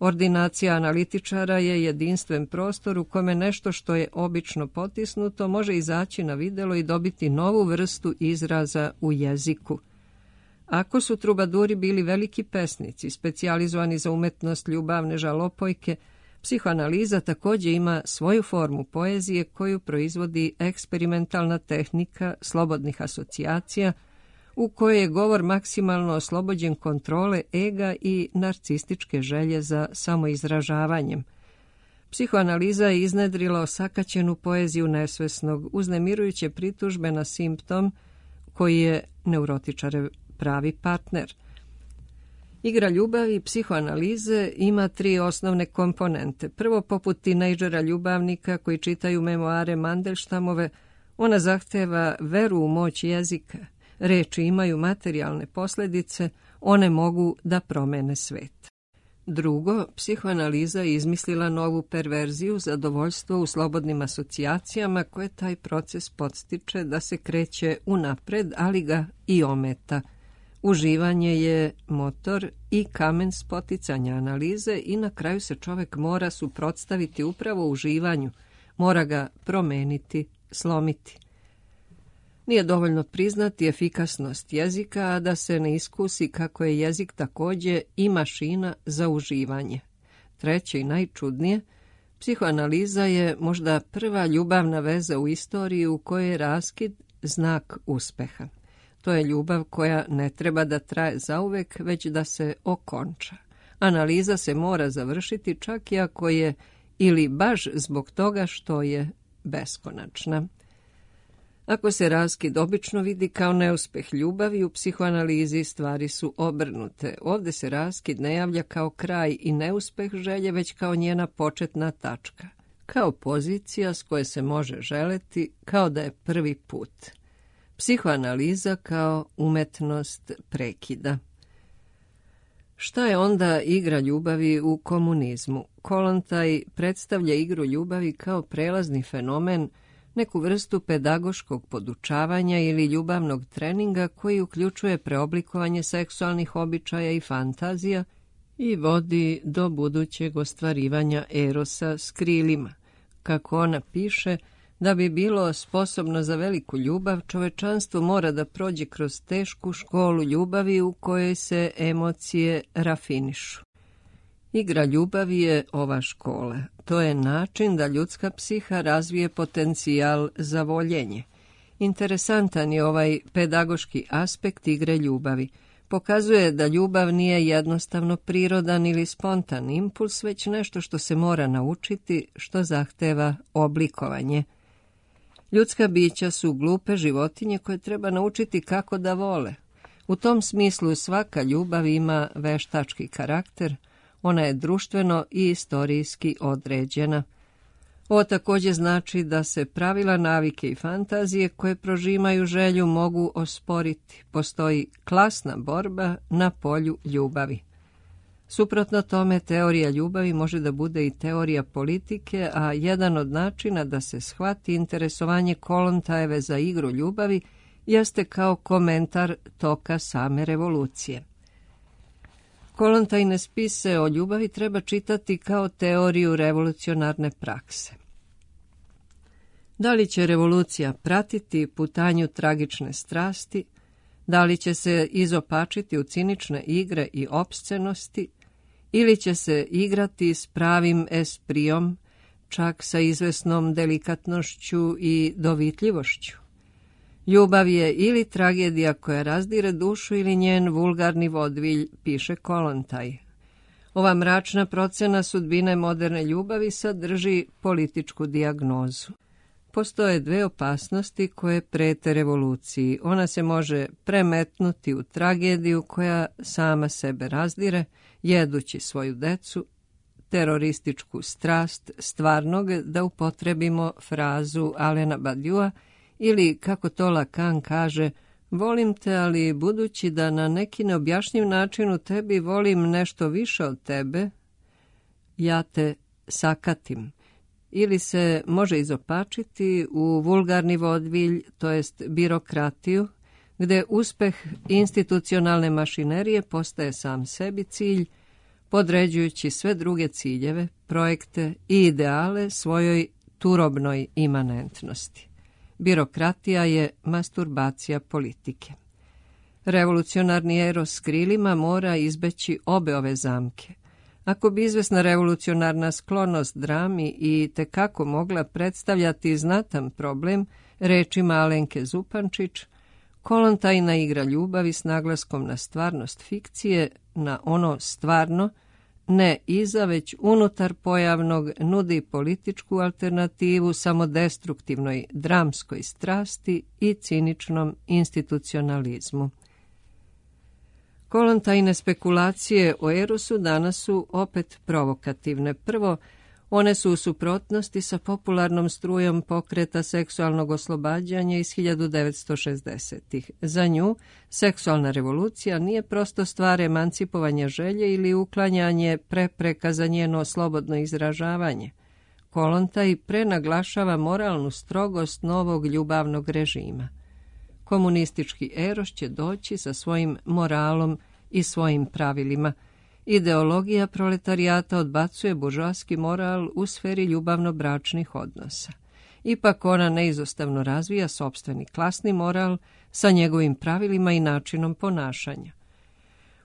Ordinacija analitičara je jedinstven prostor u kome nešto što je obično potisnuto može izaći na videlo i dobiti novu vrstu izraza u jeziku. Ako su trubaduri bili veliki pesnici, specijalizovani za umetnost ljubavne žalopojke, psihoanaliza također ima svoju formu poezije koju proizvodi eksperimentalna tehnika slobodnih asocijacija, u kojoj je govor maksimalno oslobođen kontrole ega i narcističke želje za samoizražavanjem. Psihoanaliza je iznedrila osakaćenu poeziju nesvesnog, uznemirujuće pritužbe na simptom koji je neurotičarev pravi partner. Igra ljubavi psihoanalize ima tri osnovne komponente. Prvo, poput tinejdžera ljubavnika koji čitaju memoare Mandelštamove, ona zahteva veru u moć jezika. Reči imaju materijalne posljedice, one mogu da promene svet. Drugo, psihoanaliza je izmislila novu perverziju, zadovoljstvo u slobodnim asocijacijama koje taj proces podstiče da se kreće unapred, ali ga i ometa. Uživanje je motor i kamen spoticanja analize i na kraju se čovek mora suprotstaviti upravo uživanju, mora ga promeniti, slomiti. Nije dovoljno priznati efikasnost jezika, a da se ne iskusi kako je jezik također i mašina za uživanje. Treće i najčudnije, psihoanaliza je možda prva ljubavna veza u istoriji u kojoj je raskid znak uspeha. To je ljubav koja ne treba da traje zauvek, već da se okonča. Analiza se mora završiti čak i ako je ili baš zbog toga što je beskonačna. Ako se raskid obično vidi kao neuspeh ljubavi, u psihoanalizi stvari su obrnute. Ovdje se raskid ne javlja kao kraj i neuspeh želje, već kao njena početna tačka. Kao pozicija s koje se može želeti, kao da je prvi put. Psihoanaliza kao umetnost prekida. Šta je onda igra ljubavi u komunizmu? Kollontaj predstavlja igru ljubavi kao prelazni fenomen, neku vrstu pedagoškog podučavanja ili ljubavnog treninga koji uključuje preoblikovanje seksualnih običaja i fantazija i vodi do budućeg ostvarivanja erosa s krilima. Kako ona piše, da bi bilo sposobno za veliku ljubav, čovečanstvo mora da prođe kroz tešku školu ljubavi u kojoj se emocije rafinišu. Igra ljubavi je ova škola. To je način da ljudska psiha razvije potencijal za voljenje. Interesantan je ovaj pedagoški aspekt igre ljubavi. Pokazuje da ljubav nije jednostavno prirodan ili spontan impuls, već nešto što se mora naučiti, što zahteva oblikovanje. Ljudska bića su glupe životinje koje treba naučiti kako da vole. U tom smislu svaka ljubav ima veštački karakter, ona je društveno i istorijski određena. Ovo također znači da se pravila, navike i fantazije koje prožimaju želju mogu osporiti. Postoji klasna borba na polju ljubavi. Suprotno tome, teorija ljubavi može da bude i teorija politike, a jedan od načina da se shvati interesovanje Kollontajeve za igru ljubavi jeste kao komentar toka same revolucije. Kollontajine spise o ljubavi treba čitati kao teoriju revolucionarne prakse. Da li će revolucija pratiti putanju tragične strasti, da li će se izopačiti u cinične igre i opscenosti, ili će se igrati s pravim esprijom, čak sa izvesnom delikatnošću i dovitljivošću. Ljubav je ili tragedija koja razdire dušu ili njen vulgarni vodvilj, piše Kollontaj. Ova mračna procena sudbine moderne ljubavi sadrži političku dijagnozu. Postoje dve opasnosti koje prete revoluciji. Ona se može premetnuti u tragediju koja sama sebe razdire, jedući svoju decu, terorističku strast stvarnog, da upotrebimo frazu Alena Badiua, ili, kako to Lacan kaže, volim te, ali budući da na neki neobjašnjiv način u tebi volim nešto više od tebe, ja te sakatim. Ili se može izopačiti u vulgarni vodvilj, to jest birokratiju, gde uspeh institucionalne mašinerije postaje sam sebi cilj, podređujući sve druge ciljeve, projekte i ideale svojoj turobnoj imanentnosti. Birokratija je masturbacija politike. Revolucionarni eros s krilima mora izbeći obe ove zamke. Ako bi izvesna revolucionarna sklonost drami i tekako mogla predstavljati znatan problem, rečima Alenke Zupančić, Kolontajna igra ljubavi s naglaskom na stvarnost fikcije, na ono stvarno, ne iza, već unutar pojavnog, nudi političku alternativu samodestruktivnoj dramskoj strasti i ciničnom institucionalizmu. Kolontajne spekulacije o erosu danas su opet provokativne. Prvo, one su u suprotnosti sa popularnom strujom pokreta seksualnog oslobađanja iz hiljadu devetsto šezdesetih. Za nju, seksualna revolucija nije prosto stvar emancipovanja želje ili uklanjanje prepreka za njeno slobodno izražavanje. Kolontaj prenaglašava moralnu strogost novog ljubavnog režima. Komunistički eros će doći sa svojim moralom i svojim pravilima. Ideologija proletarijata odbacuje buržoaski moral u sferi ljubavno-bračnih odnosa. Ipak ona neizostavno razvija sopstveni klasni moral sa njegovim pravilima i načinom ponašanja.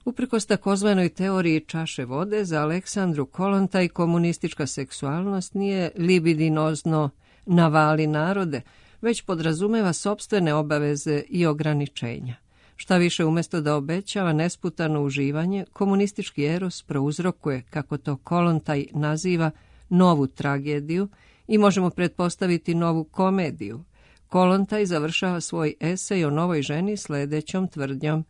Uprkos takozvanoj teoriji čaše vode, za Aleksandru Kolontaj komunistička seksualnost nije libidinozno navali narode, već podrazumeva sopstvene obaveze i ograničenja. Šta više, umjesto da obećava nesputano uživanje, komunistički eros prouzrokuje, kako to Kolontaj naziva, novu tragediju i možemo pretpostaviti novu komediju. Kolontaj završava svoj esej o novoj ženi sledećom tvrdnjom: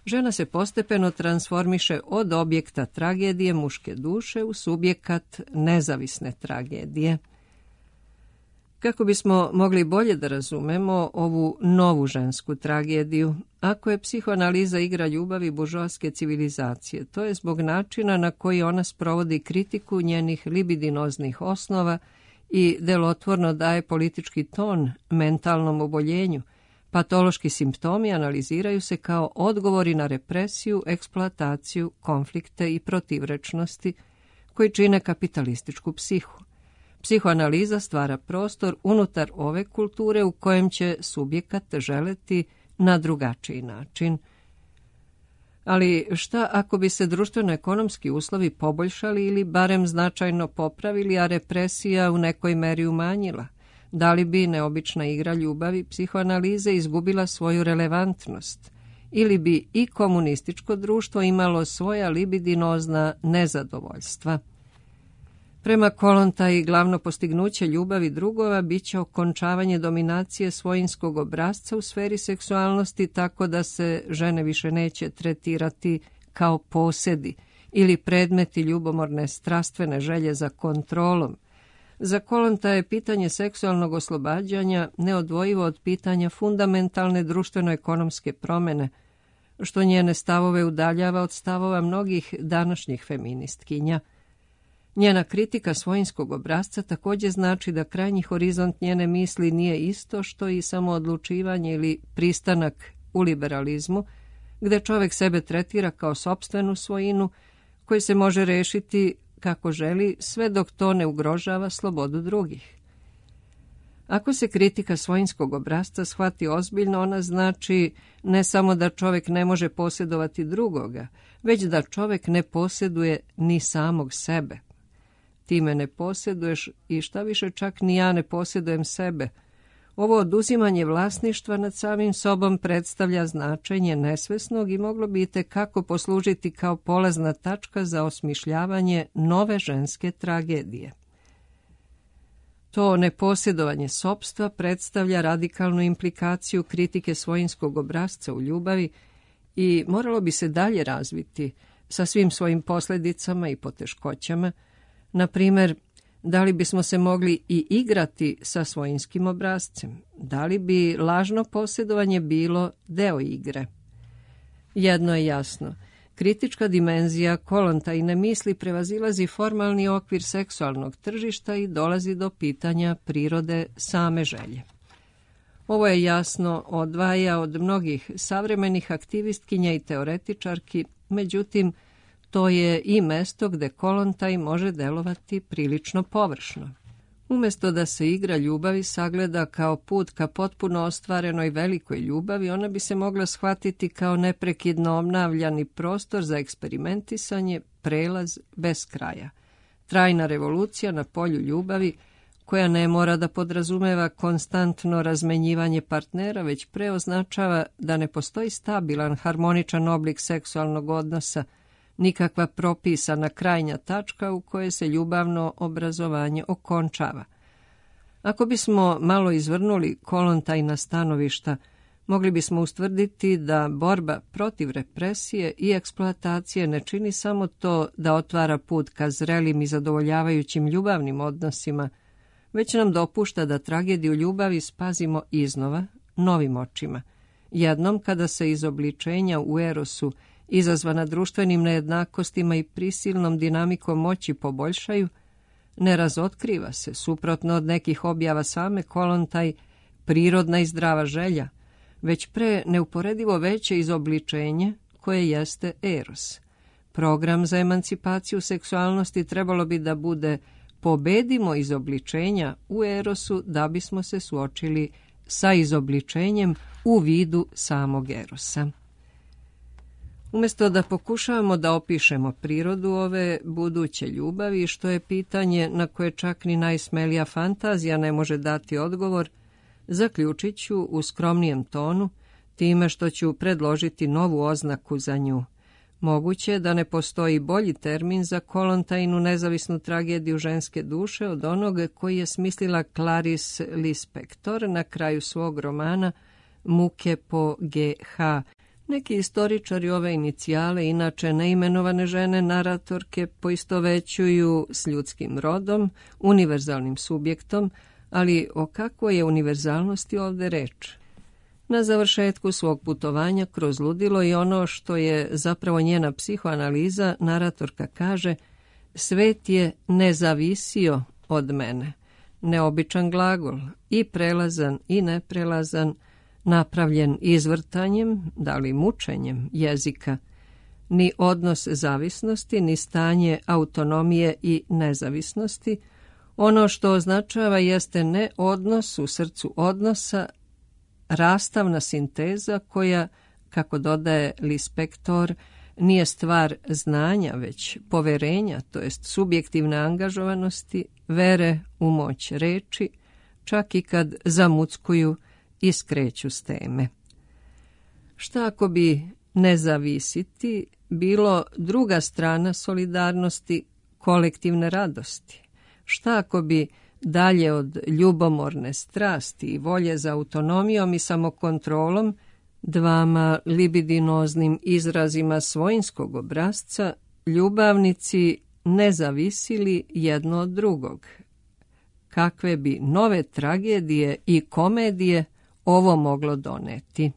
žena se postepeno transformiše od objekta tragedije muške duše u subjekat nezavisne tragedije. Kako bismo mogli bolje da razumemo ovu novu žensku tragediju, ako je psihoanaliza igra ljubavi buržoaske civilizacije, to je zbog načina na koji ona sprovodi kritiku njenih libidinoznih osnova i delotvorno daje politički ton mentalnom oboljenju. Patološki simptomi analiziraju se kao odgovori na represiju, eksploataciju, konflikte i protivrečnosti koji čine kapitalističku psihu. Psihoanaliza stvara prostor unutar ove kulture u kojem će subjekat želeti na drugačiji način. Ali šta ako bi se društveno-ekonomski uslovi poboljšali ili barem značajno popravili, a represija u nekoj meri umanjila? Da li bi neobična igra ljubavi psihoanalize izgubila svoju relevantnost? Ili bi i komunističko društvo imalo svoja libidinozna nezadovoljstva? Prema Kolontaji, glavno postignuće ljubavi drugova biće okončavanje dominacije svojinskog obrazca u sferi seksualnosti, tako da se žene više neće tretirati kao posedi ili predmeti ljubomorne strastvene želje za kontrolom. Za Kolontaja je pitanje seksualnog oslobađanja neodvojivo od pitanja fundamentalne društveno-ekonomske promene, što njene stavove udaljava od stavova mnogih današnjih feministkinja. Njena kritika svojinskog obrazca također znači da krajnji horizont njene misli nije isto što i samoodlučivanje ili pristanak u liberalizmu, gde čovjek sebe tretira kao sopstvenu svojinu koji se može rešiti kako želi, sve dok to ne ugrožava slobodu drugih. Ako se kritika svojinskog obrazca shvati ozbiljno, ona znači ne samo da čovjek ne može posjedovati drugoga, već da čovjek ne posjeduje ni samog sebe. Ti me ne posjeduješ i šta više, čak ni ja ne posjedujem sebe. Ovo oduzimanje vlasništva nad samim sobom predstavlja značenje nesvesnog i moglo bi itekako poslužiti kao polazna tačka za osmišljavanje nove ženske tragedije. To neposjedovanje sopstva predstavlja radikalnu implikaciju kritike svojinskog obrasca u ljubavi i moralo bi se dalje razviti sa svim svojim posljedicama i poteškoćama. Na primjer, da li bismo se mogli i igrati sa svojinskim obrascem? Da li bi lažno posjedovanje bilo deo igre? Jedno je jasno. Kritička dimenzija Kolontajine misli prevazilazi formalni okvir seksualnog tržišta i dolazi do pitanja prirode same želje. Ovo je jasno odvaja od mnogih savremenih aktivistkinja i teoretičarki, međutim, to je i mesto gde Kolontaj može delovati prilično površno. Umjesto da se igra ljubavi sagleda kao put ka potpuno ostvarenoj velikoj ljubavi, ona bi se mogla shvatiti kao neprekidno obnavljani prostor za eksperimentisanje, prelaz bez kraja. Trajna revolucija na polju ljubavi, koja ne mora da podrazumeva konstantno razmenjivanje partnera, već pre označava da ne postoji stabilan, harmoničan oblik seksualnog odnosa, nikakva propisana krajnja tačka u kojoj se ljubavno obrazovanje okončava. Ako bismo malo izvrnuli Kolontajna stanovišta, mogli bismo ustvrditi da borba protiv represije i eksploatacije ne čini samo to da otvara put ka zrelim i zadovoljavajućim ljubavnim odnosima, već nam dopušta da tragediju ljubavi spazimo iznova, novim očima. Jednom kada se izobličenja u erosu izazvana društvenim nejednakostima i prisilnom dinamikom moći poboljšaju, ne razotkriva se, suprotno od nekih objava same Kolontaj, prirodna i zdrava želja, već pre neuporedivo veće izobličenje koje jeste eros. Program za emancipaciju seksualnosti trebalo bi da bude pobedimo izobličenja u erosu da bismo se suočili sa izobličenjem u vidu samog erosa. Umjesto da pokušavamo da opišemo prirodu ove buduće ljubavi, što je pitanje na koje čak ni najsmelija fantazija ne može dati odgovor, zaključit ću u skromnijem tonu, time što ću predložiti novu oznaku za nju. Moguće da ne postoji bolji termin za Kolontajnu nezavisnu tragediju ženske duše od onog koji je smislila Clarice Lispector na kraju svog romana Muke po G H. Neki istoričari ove inicijale, inače neimenovane žene naratorke, poistovećuju s ljudskim rodom, univerzalnim subjektom, ali o kakvoj je univerzalnosti ovde reč? Na završetku svog putovanja kroz ludilo i ono što je zapravo njena psihoanaliza, naratorka kaže: svet je nezavisio od mene. Neobičan glagol, i prelazan i neprelazan, napravljen izvrtanjem, da li mučenjem jezika. Ni odnos zavisnosti, ni stanje autonomije i nezavisnosti. Ono što označava jeste ne odnos u srcu odnosa, rastavna sinteza koja, kako dodaje Lispector, nije stvar znanja, već poverenja, to jest subjektivne angažovanosti, vere u moć reči, čak i kad zamuckuju i skreću s teme. Šta ako bi nezavisiti bilo druga strana solidarnosti, kolektivne radosti? Šta ako bi dalje od ljubomorne strasti i volje za autonomijom i samokontrolom, dvama libidinoznim izrazima svojinskog obrazca, ljubavnici ne zavisili jedno od drugog? Kakve bi nove tragedije i komedije ovo moglo doneti?